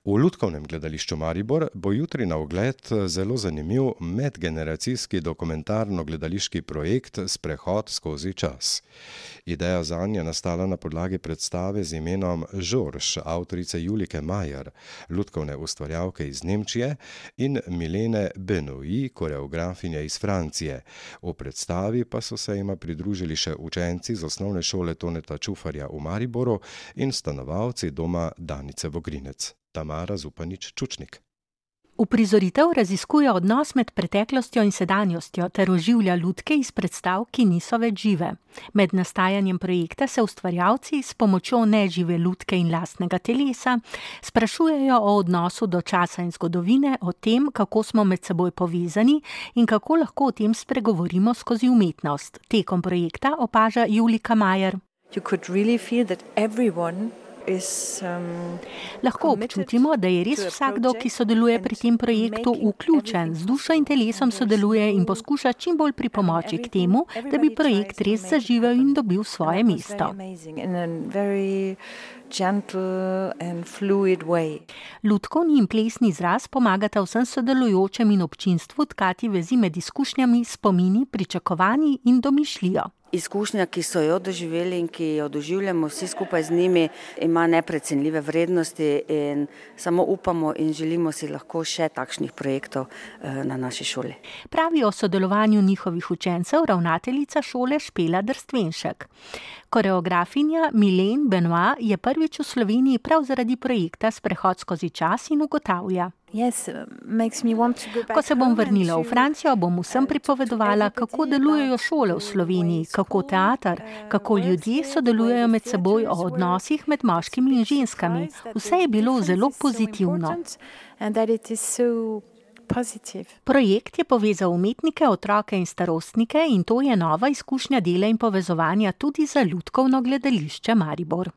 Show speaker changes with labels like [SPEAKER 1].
[SPEAKER 1] V Lutkovnem gledališču Maribor bo jutri na ogled zelo zanimiv medgeneracijski dokumentarno-gledališki projekt Sprehod skozi čas. Ideja zanj je nastala na podlagi predstave z imenom Žorž avtorice Julike Majer, lutkovne ustvarjalke iz Nemčije, in Milene Benoît, koreografinje iz Francije. V predstavi pa so se jima pridružili še učenci z osnovne šole Toneta Čufarja v Mariboru in stanovalci doma Danice Vogrinec. Tamara Zupanič-Čučnik.
[SPEAKER 2] Uprizoritev raziskuje odnos med preteklostjo in sedanjostjo ter oživlja lutke iz predstav, ki niso več žive. Med nastajanjem projekta se ustvarjalci s pomočjo nežive lutke in lastnega telesa sprašujejo o odnosu do časa in zgodovine, o tem, kako smo med seboj povezani in kako lahko o tem spregovorimo skozi umetnost. Tekom projekta opaža Julika Majer. Lahko občutimo, da je res vsakdo, ki sodeluje pri tem projektu, vključen, z dušo in telesom sodeluje in poskuša čim bolj pripomoči k temu, da bi projekt res zaživel in dobil svoje mesto. Lutkovni in plesni izraz pomagata vsem sodelujočem in občinstvu tkati vezi med izkušnjami, spomini, pričakovanji in domišljijo.
[SPEAKER 3] Izkušnja, ki so jo doživeli in ki jo doživljamo vsi skupaj z njimi, ima neprecenljive vrednosti in samo upamo in želimo si lahko še takšnih projektov na naši šoli.
[SPEAKER 2] Pravi o sodelovanju njihovih učencev ravnateljica šole Špela Drstvenšek. Koreografinja Milene Benoît je prvič v Sloveniji prav zaradi projekta Sprehod skozi čas in ugotavlja. Ko se bom vrnila v Francijo, bom vsem pripovedovala, kako delujejo šole v Sloveniji, kako teater, kako ljudje sodelujejo med seboj, o odnosih med moškimi in ženskami. Vse je bilo zelo pozitivno. Projekt je povezal umetnike, otroke in starostnike in to je nova izkušnja dela in povezovanja tudi za Lutkovno gledališče Maribor.